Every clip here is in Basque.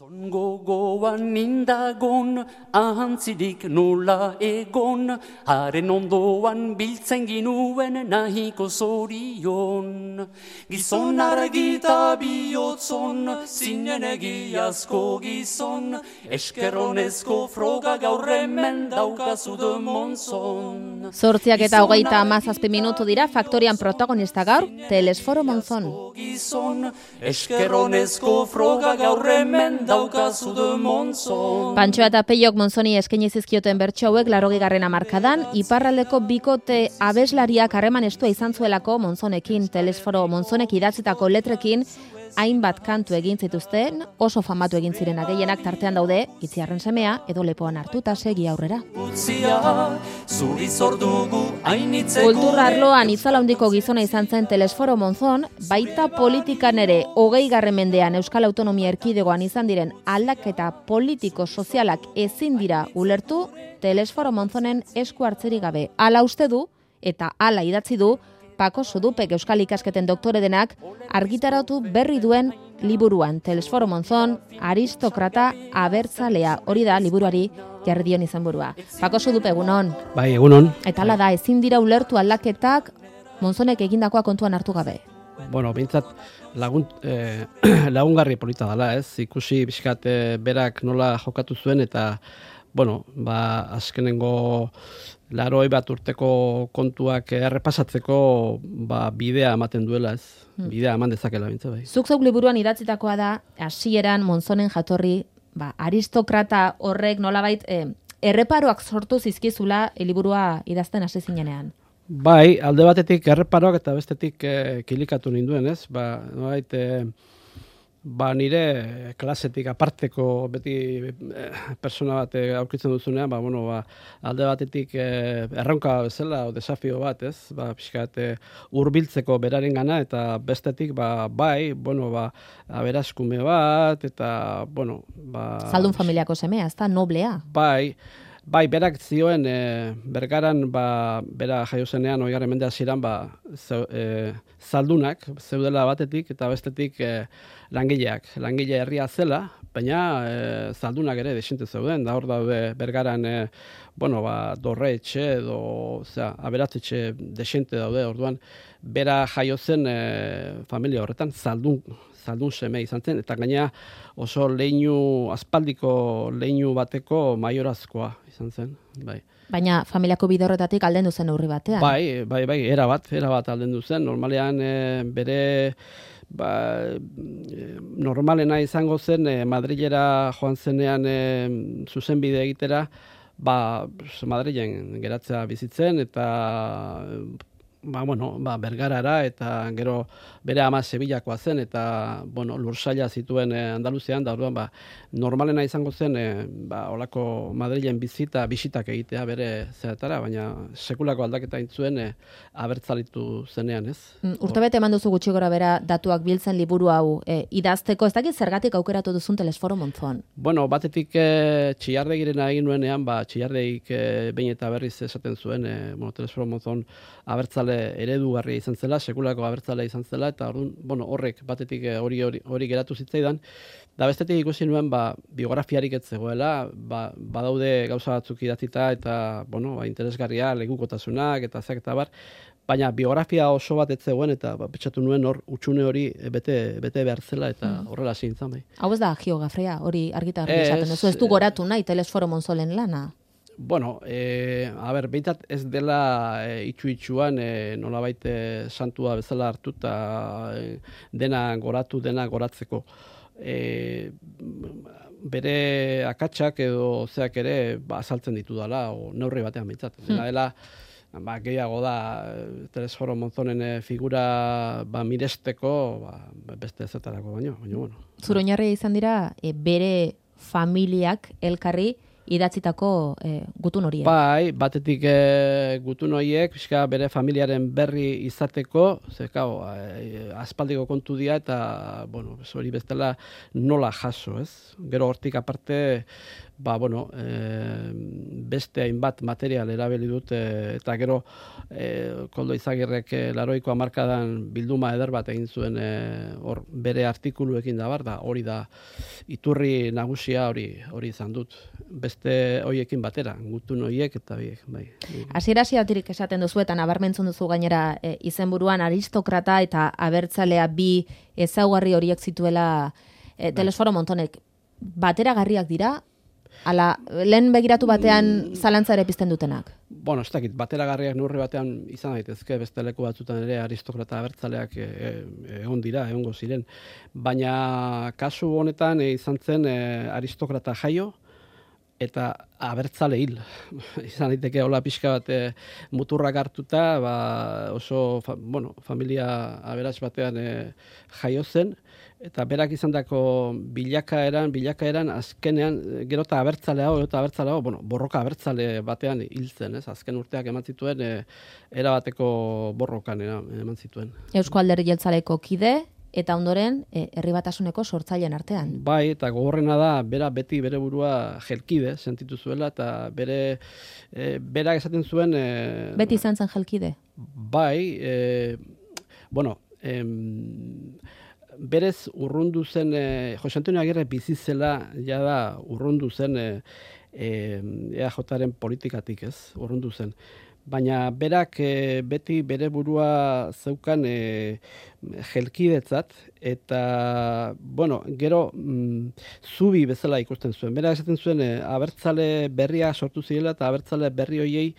Gizon gogoan nindagon, ahantzirik nola egon, haren ondoan biltzen ginuen nahiko zorion. Gizon argita bihotzon, zinen egiazko gizon, eskerronezko froga gaur hemen daukazu de Monzon. 8:37 minutu dira Faktorian protagonista gaur, Telesforo Monzon. Eskerronezko froga gaur hemen daukazu de Monzon. Pantxoa eta Peiok Monzoni eskaini zizkioten bertso hauek 80. hamarkadan, iparraldeko bikote abeslariak harreman estua izan zuelako Monzonekin, Telesforo Monzonek idatzitako letrekin, hainbat kantu egin zituzten, oso famatu egin zirena gehienak tartean daude, Itziarren semea edo Lepoan hartuta segi aurrera. Kultura arloan itzala handiko gizona izan zen Telesforo Monzon, baita politikan ere 20. mendean Euskal Autonomia Erkidegoan izan diren aldaketa politiko-sozialak ezin dira ulertu Telesforo Monzonen esku hartzerik gabe. Hala uste du eta hala idatzi du Pako Sudupek Euskal Ikasketen doktore denak argitaratu berri duen liburuan. Telesforo Monzon, aristokrata abertzalea. Hori da liburuari jarri dion izenburua. Pako Sudupe, egunon. Bai, egunon. Eta hala da, ezin dira ulertu aldaketak Monzonek egindakoa kontuan hartu gabe. Bueno, bintzat lagungarri polita dela, ez? Ikusi bizkat berak nola jokatu zuen eta, bueno, azkenengo 80 urteko kontuak errepasatzeko bidea ematen duela, ez? Bidea eman dezakela bintza bai. Zuk zeuk liburuan idatzitakoa da, hasieran Monzonen jatorri, aristokrata horrek nolabait erreparoak sortu zizkizula liburua idazten hasi zinenean. Bai, alde batetik erreparoak eta bestetik kilikatu ninduen, ez? Nolabait nire klasetik aparteko beti persona bat aurkitzen duzunean, alde batetik erronka bezala o desafio bat, ez? Pixkat hurbiltzeko berarengana eta bestetik aberaskume bat eta Zaldun familiako semea, ez da noblea. Bai, berak zioen Bergaran bera jaio zenean 20. mende hasieran zaldunak zeudela batetik eta bestetik langileak. Langile herria zela, baina zaldunak ere desente zeuden. Da hor daude Bergaran dorretxe edo aberatzetxe desente daude. Orduan bera jaio zen familia horretan zaldun seme izan zen, eta gaina oso aspaldiko leinu bateko maiorazkoa izan zen. Bai. Baina familiako bide horretatik aldendu zen neurri batean. Bai, erabat aldendu zen. Normalean bere normalena izango zen Madrilera joan zenean zuzenbide egitera, Madrilen geratzea bizitzen eta Bergarara eta gero bere ama Sevillakoa zen eta lursaila zituen Andaluzian da orduan normalena izango zen holako Madrilen bisitak egitea bere zeatara, baina sekulako aldaketa egin zuen abertzalitu zenean, ez? Urtebete eman duzu gutxi gora bera datuak biltzen liburu hau idazteko, ez dakit zergatik aukeratu duzun Telesforo Monzon? Batetik Txillardegirena egin nuenean, Txillardegik behin eta berriz esaten zuen, Telesforo Monzon abertzale eredugarria izan zela, sekulako abertzalea izan zela, eta horrek batetik hori geratu zitzaidan, da bestetik ikusi nuen biografiarik ez zegoela, badaude gauza batzuk idatzita eta interesgarria, legukotasunak eta zeak eta bar, baina biografia oso bat ez zegoen eta pentsatu nuen hor utxune hori bete behar zela eta horrela hasi nintzen bai. Hau ez da geografia, hori argitarri esaten duzu, ez du goratu nahi Telesforo Monzonen lana? Behintzat ez dela itxuan nolabait santua bezala hartu eta dena goratzeko. Bere akatsak edo zeak ere azaltzen ditu dela, neurri batean behintzat. Dela, gehiago da Telesforo Monzonen figura miresteko beste ezetarako baino. Zure oinarria izan dira bere familiak elkarri idatzitako gutun horiek. Bai, batetik gutun horiek, bere familiaren berri izateko, aspaldiko kontu dira eta, hori bestela nola jaso, ez? Gero hortik aparte, beste hainbat material erabili dut, eta gero Koldo Izagirrek 80ko hamarkadan bilduma eder bat egin zuen hor bere artikuluekin da hori da iturri nagusia hori izan dut. Beste hoiekin batera, gutun hoiek eta biek, bai. Hasiera-hasieratik esaten duzu eta nabarmentzen duzu gainera izenburuan aristokrata eta abertzalea bi ezaugarri horiek zituela Telesforo Montonek. Bateragarriak dira? Ala, lehen begiratu batean zalantza ere pizten dutenak? Bueno, ez dakit, bateragarriak neurri batean izan daitezke, beste leku batzutan ere aristokrata abertzaleak egongo ziren. Baina kasu honetan izan zen aristokrata jaio eta abertzale hil. Izan daiteke hola pixka bat muturrak hartuta, oso familia aberats batean jaio zen, eta berak izandako bilakaeran azkenean gero eta abertzale borroka abertzale batean hil zen, ez? Azken urteak eman zituen erabateko borrokan eman zituen. Eusko Alderdi Jeltzaleko kide eta ondoren Herri Batasuneko sortzaileen artean. Bai, eta gogorrena da beti bere burua jelkide sentitu zuela eta berak esaten zuen beti izan zen jelkide. Bai, berez urrundu zen, Jose Antonio Agirre bizi zela jada urrundu zen EAJaren politikatik, ez? Urrundu zen. Baina berak beti bere burua zeukan jelkidetzat eta, gero zubi bezala ikusten zuen. Berak esaten zuen abertzale berria sortu zirela eta abertzale berri hoiei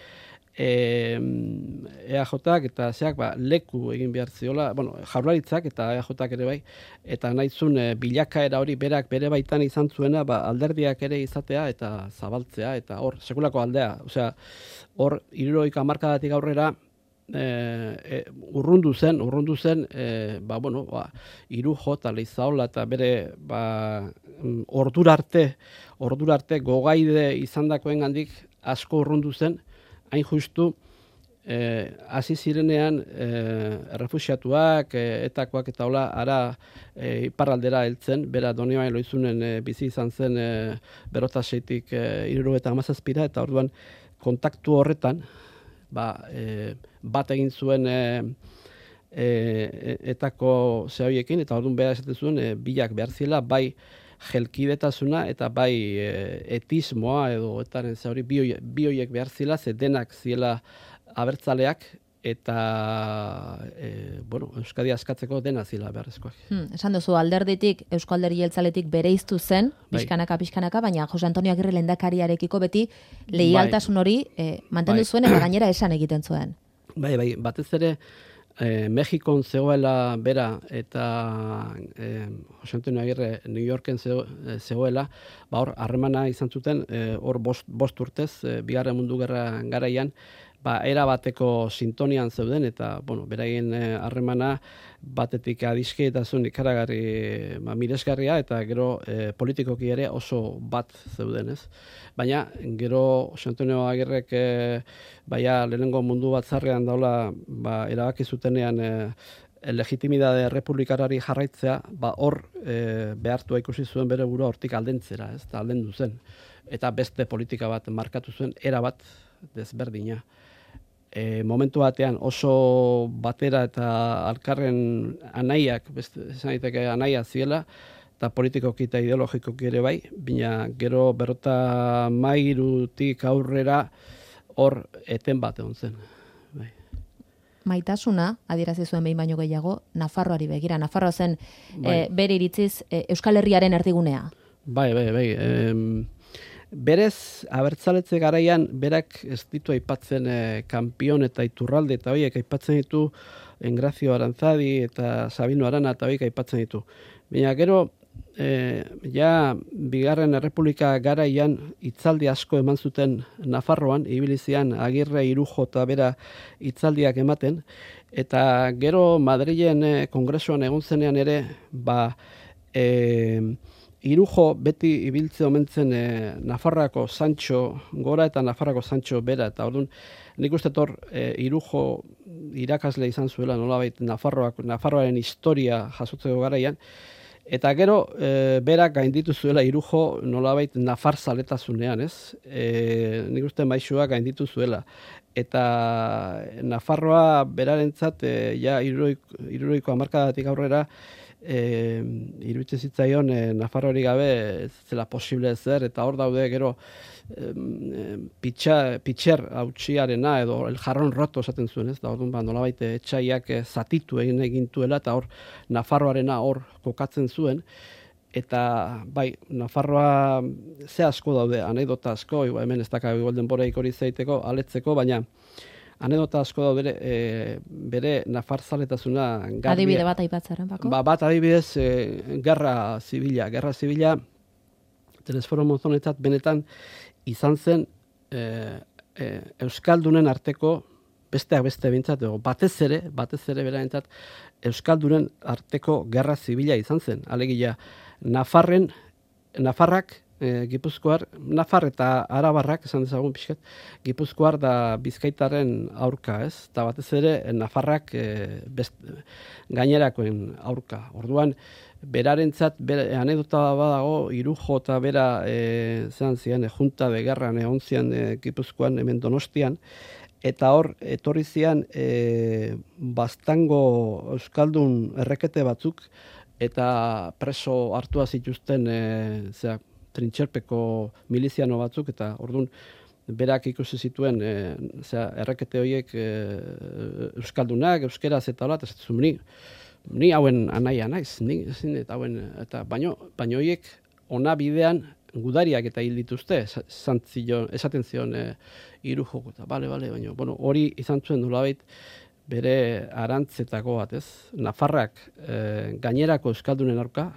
EAJak eta zeak leku egin behar ziola, Jaurlaritzak eta EAJak ere bai, eta nahizun bilakaera hori berak bere baitan izan zuena alderdiak ere izatea eta zabaltzea, eta hor, sekulako aldea. Osea, hor, 70 hamarkadatik aurrera urrundu zen, Irujo eta Leizaola eta bere ordurarte gogaide izandakoengandik asko urrundu zen, hain justu, hasi zirenean errefuxiatuak, etakoak eta hola, ara iparraldera heltzen, bera Donibane Loizunen bizi izan zen berrotaseitik 77ra, eta orduan kontaktu horretan, bat egin zuen etako zehoiekin, eta orduan behar esaten zuen, bilak behar ziela, bai jelkidetasuna eta bai etismoa edo etaren hori bi horiek behar zela, ze denak ziela abertzaleak eta Euskadi askatzeko dena zela beharrezkoak. Esan duzu, alderditik, Eusko Alderdi Jeltzaletik bereiztu zen, pixkanaka, baina Jose Antonio Agirre lehendakariarekiko beti leialtasun hori mantendu zuen eta gainera esan egiten zuen. Bai, batez ere Mexikon zegoela bera eta Jose Antonio Agirre New Yorken zegoela, hor harremana izan zuten, hor bost urtez, Bigarren Mundu Gerra garaian, era bateko sintonian zeuden, eta beraien harremana batetik adiskidetasun ikaragarri miresgarria, eta gero politikoki ere oso bat zeuden, ez? Baina gero Jose Antonio Agirrek lehenengo mundu batzarrean daula erabaki zutenean legitimidade republikarari jarraitzea, hor behartua ikusi zuen bere burua hortik aldentzera, ez? Aldendu zen. Eta beste politika bat markatu zuen, erabat desberdina. Momentu batean oso batera eta alkarren anaiak, esan daiteke anaia ziela, eta politikoki eta ideologikoki ere bai, baina gero 53tik aurrera hor eten bat egon zen. Bai. Maitasuna, adierazi zuen behin baino gehiago, Nafarroari begira. Nafarroa zen bere iritziz Euskal Herriaren erdigunea. Bai. Berez, abertzaletze garaian, berak ez ditu aipatzen Kanpion eta Iturralde eta horiek aipatzen ditu, Engrazio Arantzadi eta Sabino Arana eta horiek aipatzen ditu. Baina gero, Bigarren Errepublika garaian hitzaldi asko eman zuten Nafarroan, ibilizian Agirre, Irujo eta bera hitzaldiak ematen, eta gero Madrilen kongresuan egon zenean ere, Irujo beti ibiltze omentzen Nafarroako Sancho gora eta Nafarroako Sancho bera, eta orduan nik uste Irujo irakasle izan zuela nolabait Nafarroaren historia jasotzeko garaian, Eta gero, berak gainditu zuela Irujo nolabait nafar zaletasunean, ez? Nik uste maixua gainditu zuela. Eta Nafarroa berarentzat, ja hirurogeiko hamarkadatik aurrera, iruditzen zitzaion Nafarroari gabe ez zela posible zer, eta hor daude gero pitxer hautsiarena edo el jarron roto esaten zuen, ez? Da orduan nolabait etxaiak zatitu egintuela eta hor Nafarroarena hor kokatzen zuen. Eta bai, Nafarroa ze asko daude, anekdota asko, hemen ez daka igual denboraik hori zeiteko, aletzeko, baina anekdota asko daude bere nafarzaletasuna garbia. Adibide bat aipatzaren, Bako? Bat adibidez, gerra zibila, Telesforo Monzonetzat benetan izan zen Euskaldunen arteko, besteak beste bintzat, batez ere berarentzat, Euskaldunen arteko gerra zibila izan zen. Alegia, Nafarrak, Gipuzkoar, Nafar eta Arabarrak, esan dezagun pixkat, Gipuzkoar da Bizkaitarren aurka, ez? Eta batez ere, Nafarrak gainerakoen aurka. Orduan, berarentzat, anekdota badago, Irujo eta bera, zean zian, junta de gerran egon zian Gipuzkoan, hemen Donostian, eta hor, etorri zian, Baztango Euskaldun errekete batzuk, eta preso hartua zituzten, trintxerpeko miliziano batzuk, eta orduan berak ikusi zituen errekete horiek Euskaldunak, euskeraz eta hola, eta zaitu ni hauen anaia naiz, eta baino horiek ona bidean gudariak eta hil dituzte, esaten zion Irujo, eta bale, baina hori izan zuen nolabait bere arantzetako bat, ez? Nafarrak gainerako Euskaldunen aurka,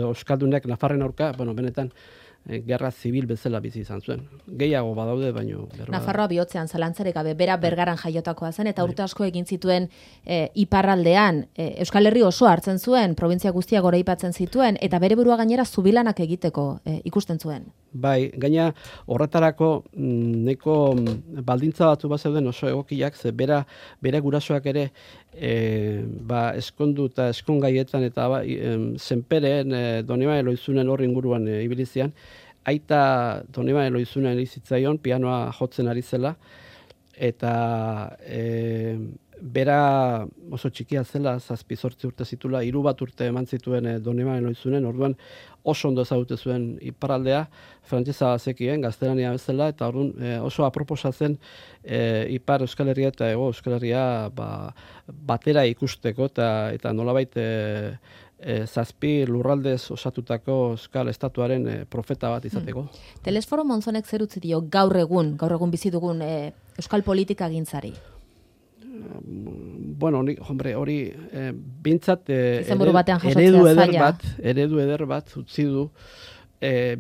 Euskaldunek Nafarren aurka, benetan gerra zibil bezala bizi izan zuen. Gehiago badaude, baino... Nafarroa bihotzean zalantzarik gabe, bera Bergaran jaiotakoa zen, eta urte asko egin zituen iparraldean, Euskal Herri oso hartzen zuen, provintzia guztia goraipatzen zituen, eta bere burua gainera zubilanak egiteko ikusten zuen. Bai, gaina horretarako neko baldintza batzu bat zeuden oso egokiak, ze bere gurasoak ere eskondu eta eskongaietan eta zenperen Donibane Loizunen horri inguruan ibilizian, aita Donibane Loizunen izitzaion, pianoa jotzen ari zela, eta bera oso txikia zela, 7-8 urte zitula, 3 urte eman zituen Donibane Loizunen, orduan oso ondo ezagute zuen iparraldea, frantsesa zekien, gaztelania bezala, eta orduan oso aproposa zen ipar Euskal Herria eta hego Euskal Herria batera ikusteko, eta nolabait 7 lurraldez osatutako Euskal Estatuaren profeta bat izateko. Telesforo Monzonek zer utzi dio gaur egun bizi dugun Euskal politika gintzari? Bueno, hori bintzat eredu eder bat utzi du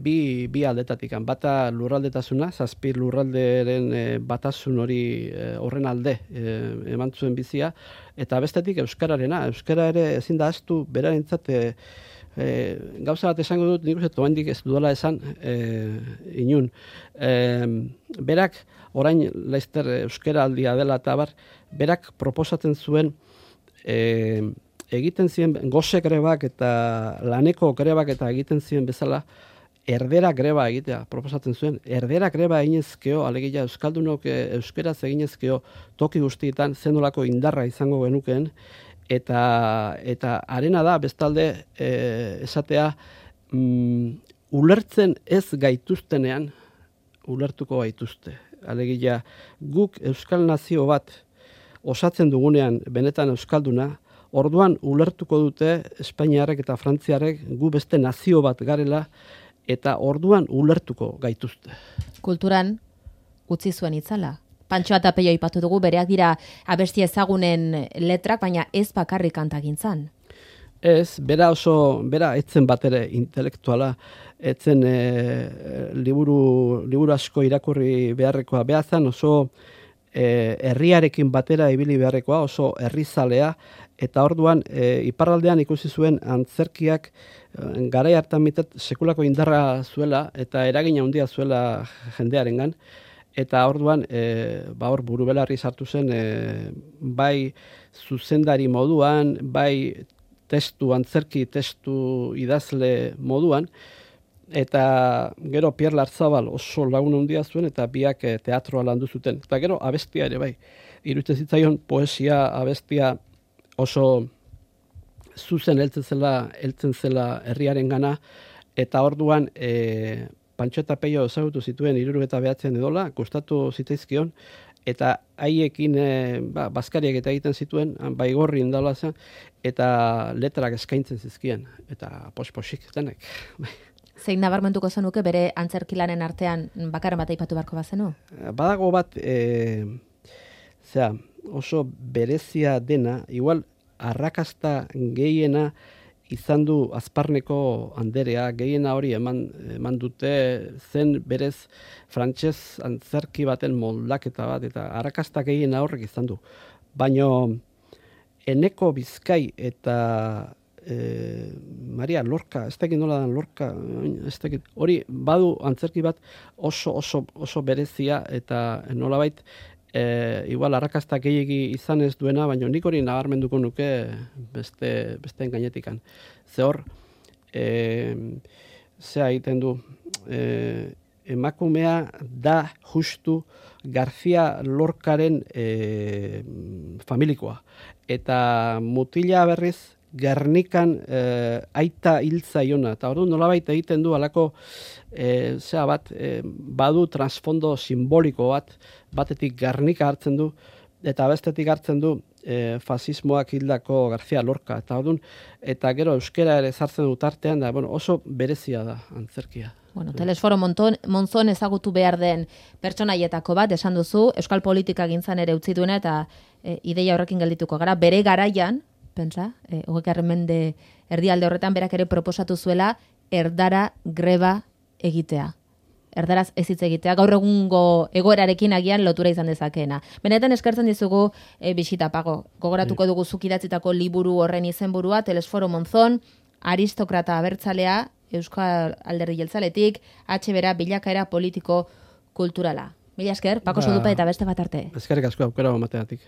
bi aldetatik. Bata lurraldetasuna, 7 lurralderen batasun hori horren alde eman zuen bizia, eta bestetik euskararena. Euskara ere ezin da ahaztu berarentzat gauza bat esango dut, nik uste oraindik ez dudala esan inun. Berak, orain laizter euskara aldia dela eta berak proposatzen zuen egiten ziren gose grebak eta laneko grebak eta egiten ziren bezala erdera greba egitea proposatzen zuen. Erdera greba eginezkeo, alegia euskaldunok euskeraz eginezkeo toki guztietan zenolako indarra izango genukeen, eta arena da bestalde esatea ulertzen ez gaituztenean ulertuko gaituzte. Alegia guk euskal nazio bat osatzen dugunean benetan euskalduna, orduan ulertuko dute Espainiarrek eta Frantziarrek gu beste nazio bat garela, eta orduan ulertuko gaituzte. Kulturan utzi zuen itzala. Pantxoa eta Peio aipatu dugu, bereak dira abesti ezagunen letrak, baina ez bakarrik kantagintzan. Ez, bera etzen bat ere intelektuala, etzen liburu asko irakurri beharrekoa behazan, oso herriarekin batera ibili beharrekoa, oso herrizalea, eta orduan iparraldean ikusi zuen antzerkiak garai hartan mitet sekulako indarra zuela eta eragina handia zuela jendearengan, eta orduan hor burubelarri sartu zen bai zuzendari moduan, bai antzerki testu idazle moduan, eta gero Pierre Larzabal oso lagun handia zuen, eta biak teatroa landu zuten. Eta gero abestia ere bai. Iruditzen zitzaion poesia abestia oso zuzen heltzen zela herriarengana, eta orduan Pantxo eta Peio ezagutu zituen 79 edola, gustatu zitzaizkion, eta haiekin bazkariak eta egiten zituen, Baigorri indala zen, eta letrak eskaintzen zizkien, eta posik denek. Zein nabarmentuko zenuke bere antzerkilanen artean bakarren bat aipatu beharko bazenu? Badago bat, oso berezia dena, igual arrakasta gehiena izan du Azparneko Anderea, gehiena hori eman dute zen berez frantses antzerki baten moldaketa bat, eta arrakasta gehiena horrek izan du. Baina Eneko Bizkai eta Maria Lorca, ez dakit nola dan Lorca, hori badu antzerki bat oso berezia, eta nolabait igual arrakasta gehiegi izan ez duena, baina nik hori nabarmenduko nuke besteen gainetikan. Ze hor, zea egiten du, emakumea da justu García Lorcaren familikoa. Eta mutila berriz Gernikan aita hiltzaiona, eta orduan nolabait egiten du alako badu transfondo simboliko batetik Gernika hartzen du, eta bestetik hartzen du fasismoak hildako García Lorca, eta gero euskera ere sartzen dut artean, da, oso berezia da antzerkia. Telesforo Monzon ezagutu behar den pertsonaietako bat, esan duzu, euskal politika gintzan ere utzi duena, eta ideia horrekin geldituko gara, bere garaian, pentsa, 20. mende erdialde horretan berak ere proposatu zuela erdara greba egitea. Erdaraz ez hitz egitea, gaur egungo egoerarekin agian lotura izan dezakeena. Benetan eskertzen dizugu bisita Pago. Gogoratuko dugu zuk idatzitako liburu horren izenburua, Telesforo Monzon, aristokrata abertzalea, Euskal Alderdi Jeltzaletik, bera bilakaera politiko kulturala. Mila esker, Pako Sodupa eta beste bat arte. Eskerrik asko aukera emateagatik.